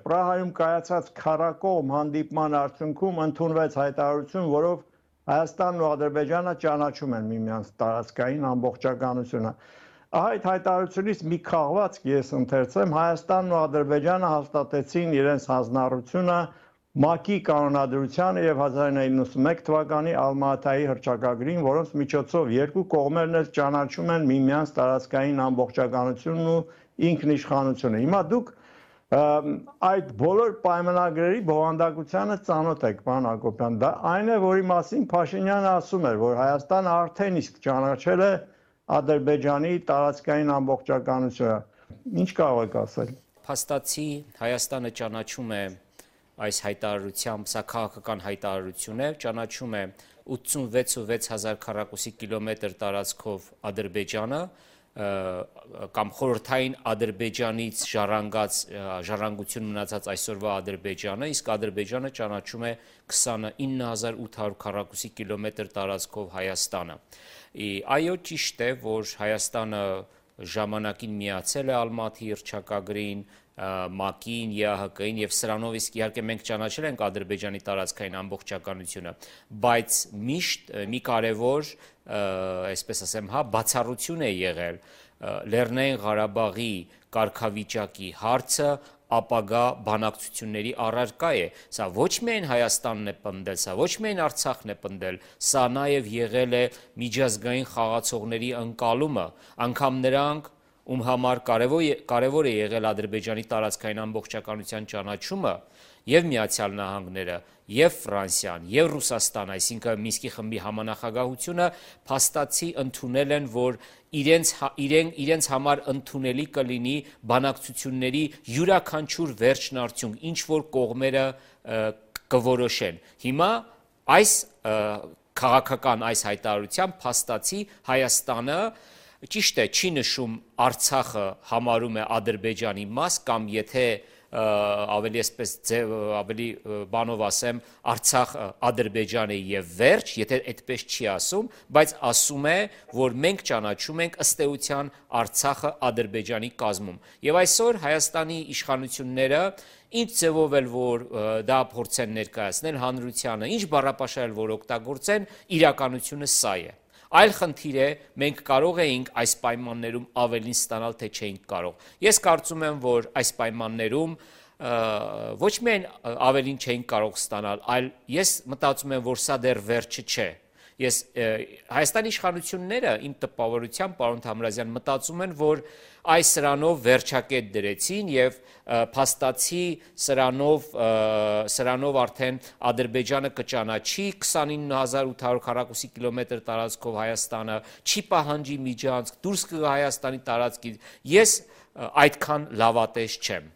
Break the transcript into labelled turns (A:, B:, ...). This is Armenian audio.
A: Պրահայում կայացած քառակողմ հանդիպման արդյունքում ընդունվեց հայտարարություն, որով Հայաստանն ու Ադրբեջանը ճանաչում են միմյանց տարածքային ամբողջականությունը։ Այդ հայտարարությունից մի քաղվածք ես ընթերցեմ. Հայաստանն ու Ադրբեջանը հաստատեցին իրենց հանձնառությունը ՄԱԿ-ի կանոնադրությանը եւ 1991 թվականի Ալմա-Աթայի հռչակագրին, որոնց միջոցով երկու կողմերն էլ ճանաչում են միմյանց տարածքային ամբողջականությունն ու ինքնիշխանությունը։ Հիմա դուք այդ բոլոր պայմանագրերի բովանդակությանը ծանոթ եք, պարոն Հակոբյան, դա այն է, որի մասին Փաշինյանը ասում էր, որ Հայաստանը արդեն իսկ ճանաչել է Ադրբեջանի տարածքային ամբողջականությունը։ Ինչ կարող եք ասել։
B: Փաստացի Հայաստանը ճանաչում է այս հայտարարությամբ, սա քաղաքական հայտարարություն է, ճանաչում է 86,600 քառակուսի կիլոմետր տարածքով Ադրբեջանը կամ խորհրդային Ադրբեջանից ժառանգություն մնացած այսօրվա Ադրբեջանը, իսկ Ադրբեջանը ճանաչում է 29,800 քառակուսի կիլոմետր տարածքով Հայաստանը։ Այո, ճիշտ է, որ Հայաստանը ժամանակին միացել է Ալմատի հռչակագրին, ՄԱԿ-ին, ԵԱՀԿ-ին եւ սրանով իսկ իհարկե մենք ճանաչել ենք Ադրբեջանի տարածքային ամբողջականությունը, բայց միշտ մի կարևոր, այսպես ասեմ, բացառություն է եղել Լեռնային Ղարաբաղի կարգավիճակի հարցը ապագա բանակցությունների առարկա է։ Սա ոչ միայն Հայաստանն է պնդել, սա ոչ միայն Արցախն է պնդել, սա նաև եղել է միջազգային խաղացողների ընկալումը, անգամ նրանք, ում համար կարևոր է եղել Ադրբեջանի տարածքային ամբողջականության ճանաչումը, եւ Միացյալ Նահանգները, եւ Ֆրանսիան, եւ Ռուսաստան, այսինքն Մինսկի խմբի համանախագահությունը փաստացի ընդունել են, որ իրենց համար ընդունելի կլինի բանակցությունների յուրաքանչյուր վերջնարդյունք, ինչ որ կողմերը կորոշեն։ Հիմա այս քաղաքական այս հայտարարությամբ փաստացի Հայաստանը ճիշտ է, չի նշում Արցախը համարում է Ադրբեջանի մաս կամ եթե ավելի բանով ասեմ, Արցախ Ադրբեջան է եւ վերջ, եթե այդպես չի ասում, բայց ասում է, որ մենք ճանաչում ենք ըստ էության Արցախը Ադրբեջանի կազմում։ Եվ այսօր Հայաստանի իշխանությունները ինչ ձևով էլ որ դա փորձեն ներկայացնել հանրությանը, ինչ բառապաշար որ օգտագործեն, իրականությունը սա է։ Այլ խնդիր է, մենք կարող էինք այս պայմաններում ավելին ստանալ, թե չէինք կարող։ Ես կարծում եմ, որ այս պայմաններում ոչ միայն ավելին չէինք կարող ստանալ, այլ ես մտածում եմ, որ սա դեռ վերջը չէ։ Հայաստանի իշխանությունները իմ տպավորությամբ, պարոն Թամրազյան, մտածում են, որ այս սրանով վերջակետ դրեցին եւ փաստացի սրանով արդեն Ադրբեջանը կճանաչի 29,800 քառակուսի կիլոմետր տարածքով Հայաստանը, չի պահանջի միջանցք, դուրս կգա Հայաստանի տարածքից։ Ես այդքան լավատես չեմ։